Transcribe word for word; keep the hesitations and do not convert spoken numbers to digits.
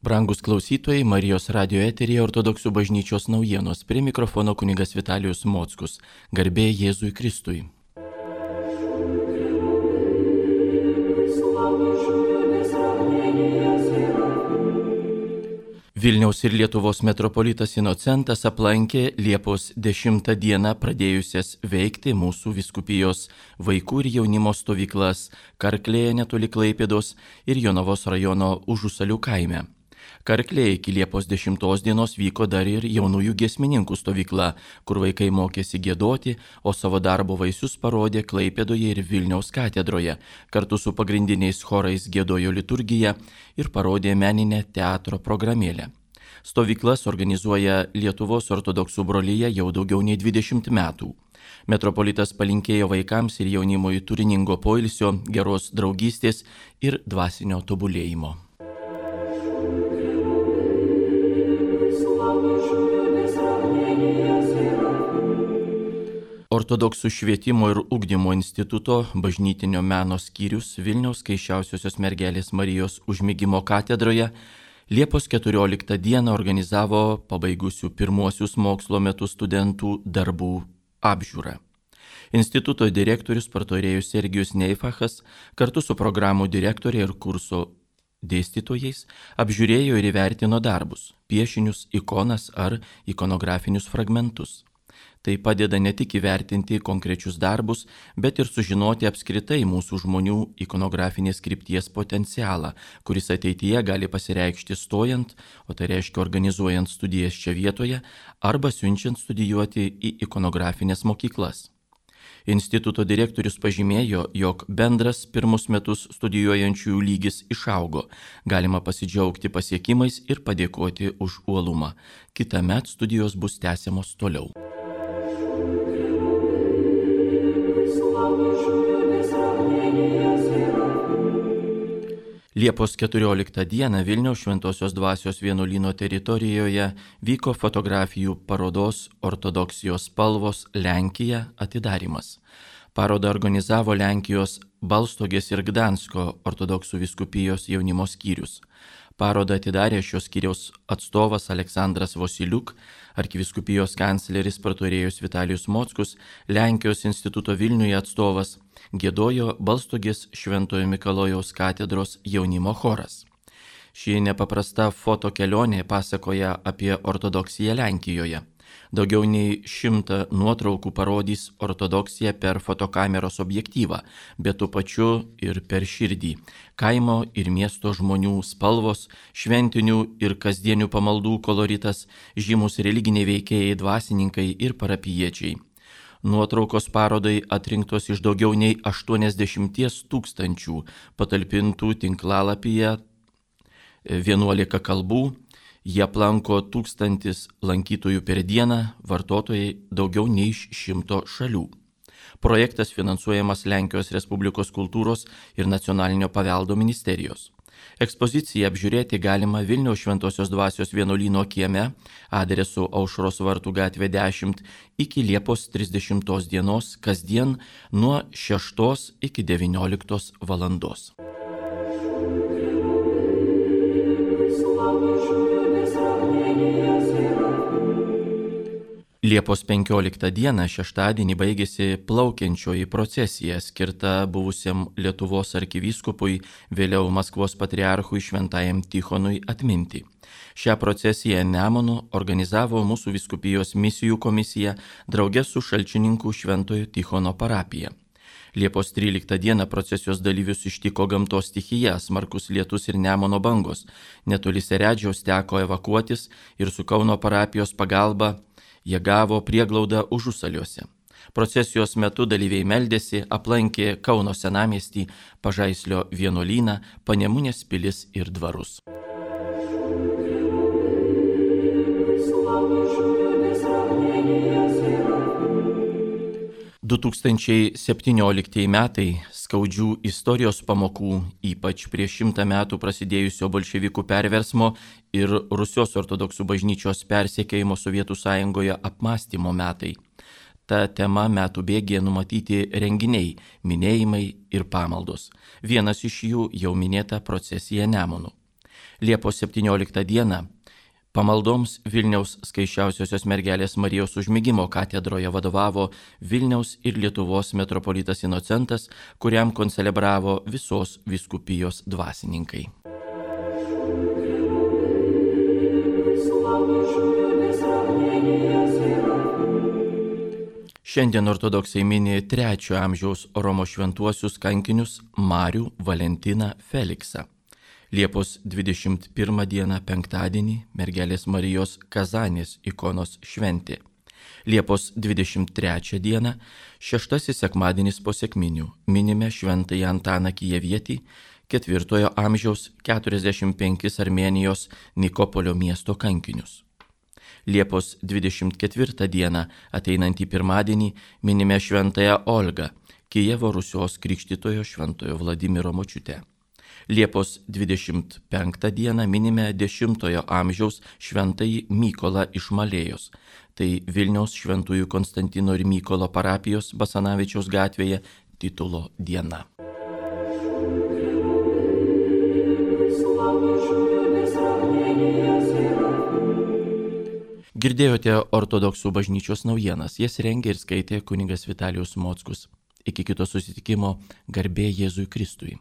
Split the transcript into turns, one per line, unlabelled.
Brangus klausytojai, Marijos radio eteryje Ortodoksų bažnyčios naujienos. Prie mikrofono kunigas Vitalijus Mockus. Garbė Jėzui Kristui. Vilniaus ir Lietuvos metropolitas Inocentas aplankė Liepos dešimtą dieną pradėjusias veikti mūsų vyskupijos vaikų ir jaunimo stovyklas Karklėje netoli Klaipėdos ir Jonavos rajono Užusalių kaime. Karklėje iki Liepos dešimtos dienos vyko dar ir jaunųjų giesmininkų stovykla, kur vaikai mokėsi giedoti, o savo darbo vaisius parodė Klaipėdoje ir Vilniaus katedroje. Kartu su pagrindiniais chorais giedojo liturgiją ir parodė meninę teatro programėlę. Stovyklas organizuoja Lietuvos ortodoksų brolija jau daugiau nei dvidešimt metų. Metropolitas palinkėjo vaikams ir jaunimui turiningo poilsio, geros draugystės ir dvasinio tobulėjimo. Ortodoksų švietimo ir ugdymo instituto bažnytinio meno skyrius Vilniaus Skaisčiausiosios mergelės Marijos Užmigimo katedroje Liepos keturioliktą dieną organizavo pabaigusių pirmuosius mokslo metus studentų darbų apžiūrą. Instituto direktorius partorėjus Sergijus Neifachas kartu su programų direktorė ir kurso dėstytojais apžiūrėjo ir įvertino darbus, piešinius, ikonas ar ikonografinius fragmentus. Tai padeda ne tik įvertinti konkrečius darbus, bet ir sužinoti apskritai mūsų žmonių ikonografinės krypties potencialą, kuris ateityje gali pasireikšti stojant, o tai reiškia organizuojant studijas čia vietoje, arba siunčiant studijuoti į ikonografinės mokyklas. Instituto direktorius pažymėjo, jog bendras pirmus metus studijuojančiųjų lygis išaugo. Galima pasidžiaugti pasiekimais ir padėkoti už uolumą. Kitąmet studijos bus tęsiamos toliau. Liepos keturioliktą dieną Vilniaus Šventosios Dvasios vienuolyno teritorijoje vyko fotografijų parodos Ortodoksijos spalvos Lenkija atidarymas. Parodą organizavo Lenkijos Balstogės ir Gdansko ortodoksų vyskupijos jaunimo skyrius. Parodą atidarė šios skyriaus atstovas Aleksandras Vosiliuk, arkivyskupijos kancleris partorėjus Vitalijus Mockus, Lenkijos instituto Vilniuje atstovas, giedojo Balstogės Šventojo Mikalojaus katedros jaunimo choras. Ši nepaprasta fotokelionė pasakoja apie ortodoksiją Lenkijoje. Daugiau nei šimtą nuotraukų parodys ortodoksiją per fotokameros objektyvą, bet tuo pačiu ir per širdį. Kaimo ir miesto žmonių spalvos, šventinių ir kasdienių pamaldų koloritas, žymus religiniai veikėjai, dvasininkai ir parapijiečiai. Nuotraukos parodai atrinktos iš daugiau nei aštuoniasdešimties tūkstančių patalpintų tinklalapyje vienuolika kalbų. Jie aplanko tūkstantis lankytojų per dieną, vartotojai daugiau nei iš šimto šalių. Projektas finansuojamas Lenkijos Respublikos kultūros ir nacionalinio paveldo ministerijos. Ekspoziciją apžiūrėti galima Vilniaus Šventosios Dvasios vienuolyno kieme adresu Aušros vartų gatvė dešimt iki Liepos trisdešimtos dienos kasdien nuo šeštos iki devynioliktos valandos. Liepos penkioliktą dieną šeštadienį baigėsi plaukiančioji procesija skirta buvusiam Lietuvos arkivyskupui, vėliau Maskvos patriarchui Šventajam Tichonui atminti. Šią procesiją Nemunu organizavo mūsų vyskupijos misijų komisija drauge su Šalčininkų Šventojo Tichono parapija. Liepos tryliktą dieną procesijos dalyvius ištiko gamtos stichija, smarkus lietus ir Nemuno bangos. Netoli Seredžiaus teko evakuotis ir su Kauno parapijos pagalba jie gavo prieglaudą Užusaliuose. Procesijos metu dalyviai meldėsi, aplankė Kauno senamiestį, Pažaislio vienuolyną, Panemunės pilis ir dvarus. du tūkstančiai septynioliktieji metai skaudžių istorijos pamokų, ypač prieš šimtą metų prasidėjusio bolševikų perversmo ir Rusijos ortodoksų bažnyčios persekiojimo Sovietų Sąjungoje apmąstymo metai. Ta tema metų bėgyje numatyti renginiai, minėjimai ir pamaldos. Vienas iš jų jau minėta procesija Nemunu. Liepos septynioliktą dieną pamaldoms Vilniaus Skaisčiausiosios mergelės Marijos užmigimo katedroje vadovavo Vilniaus ir Lietuvos metropolitas Inocentas, kuriam koncelebravo visos vyskupijos dvasininkai. Šiandien ortodoksai mini trečiojo amžiaus Romos šventuosius kankinius Marių, Valentiną, Feliksą. Liepos dvidešimt pirmą dieną penktadienį mergelės Marijos Kazanės ikonos šventė. Liepos dvidešimt trečią dieną šeštasis sekmadienis po sekminių minime šventąjį Antaną Kijevietį, ketvirtojo amžiaus keturiasdešimt penkis Armėnijos Nikopolio miesto kankinius. Liepos dvidešimt ketvirtą dieną ateinantį pirmadienį minime šventąją Olgą, Kijevo Rusios krikštytojo šventojo Vladimiro močiutę. Liepos dvidešimt penktą dieną minime dešimtojo amžiaus šventąjį Mykolą iš Malėjos. Tai Vilniaus šventųjų Konstantino ir Mykolo parapijos Basanavičiaus gatvėje titulo diena. Girdėjote ortodoksų bažnyčios naujienas, jas rengė ir skaitė kunigas Vitalijus Mockus. Iki kito susitikimo, garbė Jėzui Kristui.